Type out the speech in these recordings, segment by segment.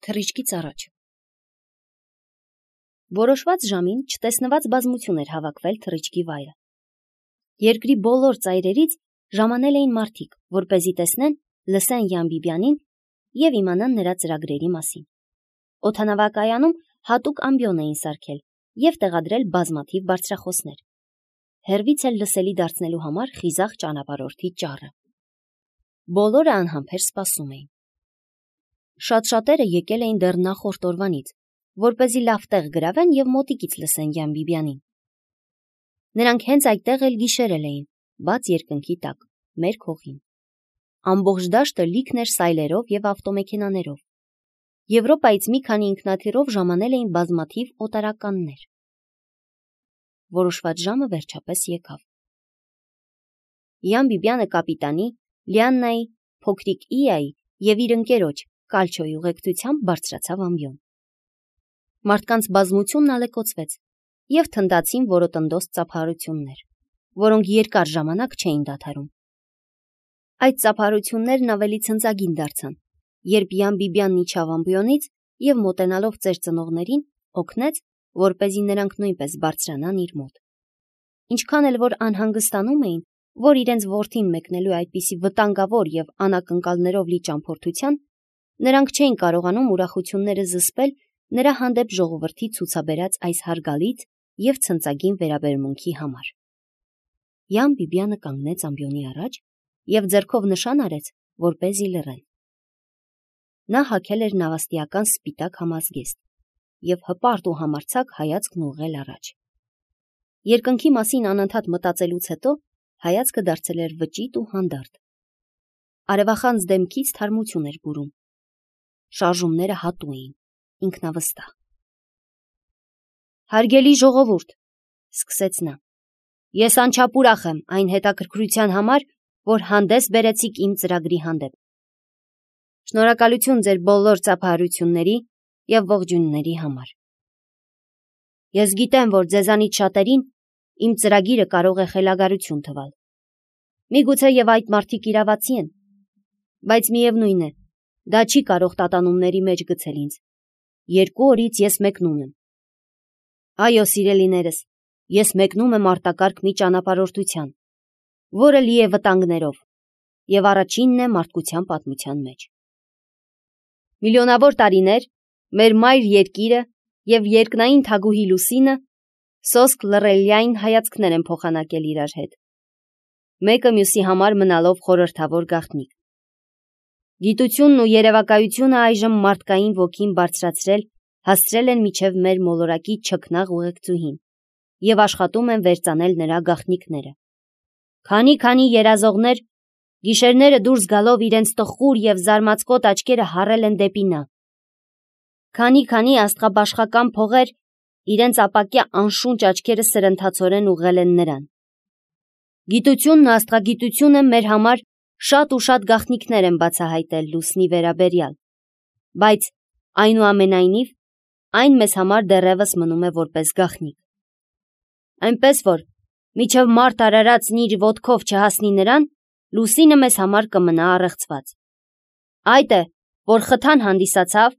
Թռիչքից առաջ։ Որոշված ժամին չտեսնված բազմություն էր հավաքվել թռիչքի վայրը։ Երկրի բոլոր ծայրերից ժամանել էին մարդիկ, որպեսզի տեսնեն, լսեն Յան Բիբյանին եւ իմանան նրա ծրագրերի մասին։ Օդանավակայանում հատուկ ամբիոն էին սարքել եւ տեղադրել բազմաթիվ բարձրախոսներ։ Հեռվից էլ լսելի դարձնելու համար խիզախ ճանապարհորդի ճառը։ Բոլորը անհամբեր սպասում էին։ Շատ-շատերը եկել էին դեռ նախորդ օրվանից, որպեսզի լավ տեղ գրավեն եւ մոտիկից լսեն Յան Բիբյանին։ Նրանք հենց այդտեղ էլ գիշերել էին, բաց երկնքի տակ, մեր քողին։ Ամբողջ դաշտը լիքն էր սայլերով եւ ավտոմեքենաներով։ Եվրոպայից մի քանի ինքնաթիռով ժամանել էին բազմաթիվ օտարականներ։ Որոշված ժամը վերջապես եկավ։ Յան Բիբյանը կապիտանի, Լիաննայի, փոքրիկ Իայի եւ իր ընկերոջ Կալչոյի ուղեկցությամբ բարձրացավ ամբիոն։ Մարդկանց բազմությունն ալեկոծվեց եւ թնդացին որոտնդոս ծափարություններ, որոնք երկար ժամանակ չէին դադարում։ Այդ ծափարություններն ավելի ցնծագին դարձան, երբ Յան Բիբյանն իջավ ամբիոնից եւ մոտենալով ծեր ծնողներին օգնեց, որպեսզի նրանք նույնպես բարձրանան իր մոտ։ Ինչքան էլ որ անհանգստանում էին, որ իրենց որդին մեկնելու այդպիսի վտանգավոր եւ անակնկալներով լի ճամփորդության, նրանք չէին կարողանում ուրախությունները զսպել նրա հանդեպ ժողովրդի ցուցաբերած այս հարգալից եւ ցնծագին վերաբերմունքի համար։ Յան Բիբյանը կանգնեց ամբիոնի առաջ եւ ձեռքով նշան արեց, որպեսզի լռեն։ Նա հագել էր նավաստիական սպիտակ համազգեստ եւ հպարտ ու համարձակ հայացքն ուղղել առաջ։ Երկնքի մասին անընդհատ մտածելուց հետո հայացքը դարձել էր վճիտ ու հանդարտ։ Արևախանձ դեմքից թարմություն էր բուրում։ Շարժումները հատու էին, ինքնավստահ։ Հարգելի ժողովուրդ, սկսեց նա, ես անչափ ուրախ եմ այն հետաքրքրության համար, որ հանդես բերեցիք իմ ծրագրի հանդեպ։ Շնորհակալություն ձեր բոլոր ծափահարությունների եւ ողջույնների համար։ Ես գիտեմ, որ ձեզանից շատերին իմ ծրագիրը կարող է խելագարություն թվալ։ Միգուցե եւ այդ մարդիկ իրավացի են, բայց միևնույն է, դա չի կարող տատանումների մեջ գցել ինձ։ 2 օրից ես մեկնում եմ։ Այո, սիրելիներս, ես մեկնում եմ արտակարգ մի ճանապարհորդության, որը լի է վտանգներով եւ առաջինն է մարդկության պատմության մեջ։ Միլիոնավոր տարիներ մեր մայր երկիրը եւ երկնային թագուհի Լուսինը սոսկ լռելյային հայացքներ են փոխանակել իրար հետ, մեկը մյուսի համար մնալով խորհրդավոր գաղտնիք։ Գիտությունն ու երևակայությունը այժմ մարդկային ոգին բարձրացրել, հասցրել են միջև մեր մոլորակի չքնաղ ուղեկցուհին եւ աշխատում են վերծանել նրա գաղտնիքները։ Քանի երազողներ գիշերները դուրս գալով իրենց տխուր եւ զարմացկոտ աչքերը հառել են դեպի նա։ Քանի աստղաբաշխական փողեր իրենց ապակյա անշունչ աչքերը սրընթացորեն ուղղել են նրան։ Գիտությունն ու աստղագիտությունը մեր համար շատ ու շատ գաղտնիքներ են բացահայտել Լուսնի վերաբերյալ, բայց այնուամենայնիվ այն մեզ համար դեռևս մնում է որպես գաղտնիք։ Այնպես որ միջև մարդ արարածն իր ոտքով չհասնի նրան, Լուսինը մեզ համար կմնա առեղծված։ Այդ է, որ խթան հանդիսացավ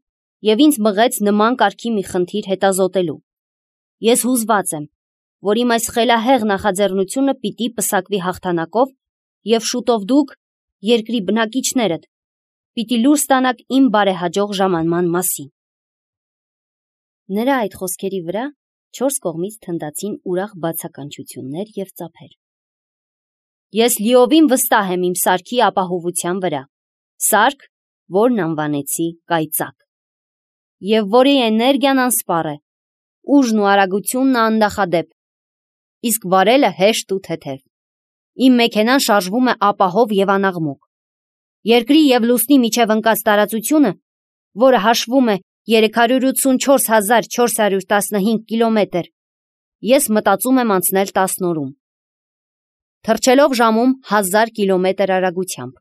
եւ ինձ մղեց նման կարգի մի խնդիր հետազոտելու։ Ես հուզված եմ, որ իմ այս խելահեղ նախաձեռնությունը պիտի պսակվի հաղթանակով եւ շուտով դուք, երկրի բնակիչներդ, պիտի լուր ստանաք իմ բարեհաջող ժամանման մասին։ Նրա այդ խոսքերի վրա 4 կողմից թնդացին ուրախ բացականչություններ եւ ծափեր։ Ես լիովին վստահ եմ իմ սարքի ապահովության վրա, սարք, որն անվանեցի կայծակ, եւ որի էներգիան անսպառ է, ուժն ու արագությունն աննախադեպ, իսկ վարելը հեշտ ու թեթև։ Իմ մեքենան շարժվում է ապահով եւ անաղմուկ։ Երկրի եւ Լուսնի միջև ընկած տարածությունը, որը հաշվում է 384,415 կիլոմետր, ես մտածում եմ անցնել 10 օրում, թռչելով ժամում 1000 կիլոմետր արագությամբ։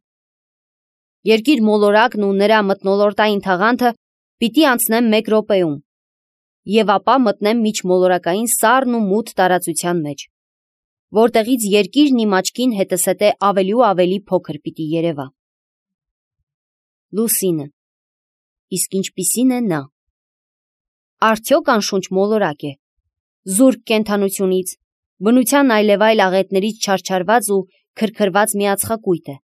Երկիր մոլորակն ու նրա մթնոլորտային թաղանթը պիտի անցնեմ 1 րոպեում եւ ապա մտնեմ միջմոլորակային սառն ու մութ տարածության մեջ, որտեղից երկիրն իմ աչքին հետզհետե ավելի ու ավելի փոքր պիտի երևա։ Լուսինը, իսկ ինչպիսին է նա։ Արդյոք անշունչ մոլորակ է, զուրկ կենդանությունից, բնության այլևայլ աղետներից չարչարված ու քրքրված միածխակույտ է։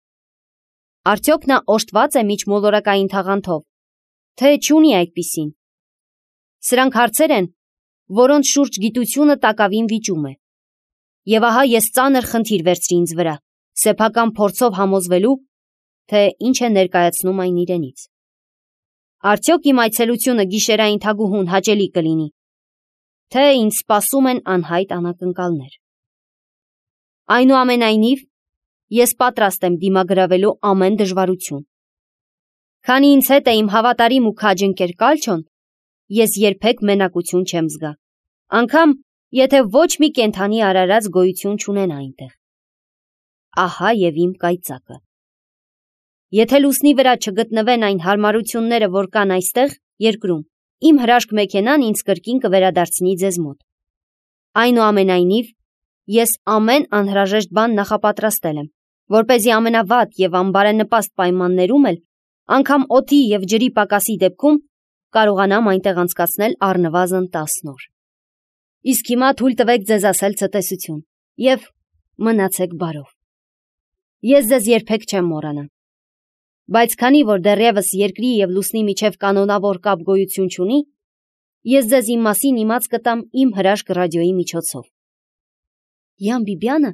Արդյոք նա օժտված է միջմոլորակային թաղանթով, թե չունի այդպիսին։ Սրանք հարցեր են, որոնց շուրջ գիտությունը տակավին վիճում է։ Եվ ահա ես ծանր խնդիր վերցրի ինձ վրա, սեփական փորձով համոզվելու, թե ինչ է ներկայացնում այն իրենից։ Արդյոք իմ այցելությունը գիշերային թագուհուն հաճելի կլինի, թե ինձ սպասում են անհայտ անակնկալներ։ Այնուամենայնիվ, ես պատրաստ եմ դիմագրավելու ամեն դժվարություն։ Քանի ինձ հետ է իմ հավատարիմ ու քաջ ընկեր Կալչոն, ես երբեք մենակություն չեմ զգա, անգամ եթե ոչ մի կենդանի արարած գոյություն չունենա այնտեղ։ Ահա եւ իմ կայծակը։ Եթե լուսնի վրա չգտնվեն այն հարմարությունները, որ կան այստեղ, երկրում, իմ հրաշք մեքենան ինձ կրկին կվերադարձնի ձեզ մոտ։ Այնուամենայնիվ, ես ամեն անհրաժեշտ բան նախապատրաստել եմ, որպեսզի ամենավատ եւ անբարենպաստ պայմաններում էլ, անգամ օդի եւ ջրի պակասի դեպքում, կարողանամ այնտեղ անցկացնել առնվազն 10 օր։ Իսկ հիմա թույլ տվեք ձեզ ասել ցտեսություն եւ մնացեք բարով։ Ես ձեզ երբեք չեմ մոռանա։ Բայց քանի որ դեռևս երկրի եւ լուսնի միջև կանոնավոր կապ գոյություն չունի, ես ձեզ իմ մասին իմաց կտամ իմ հրաշք ռադիոյի միջոցով։ Յան Բիբյանը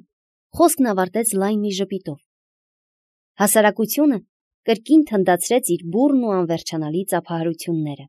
խոսքն ավարտեց լայն մի ժպիտով։ Հասարակությունը կրկին թնդացրեց իր բուռն ու անվերջանալի ծափահարությունները։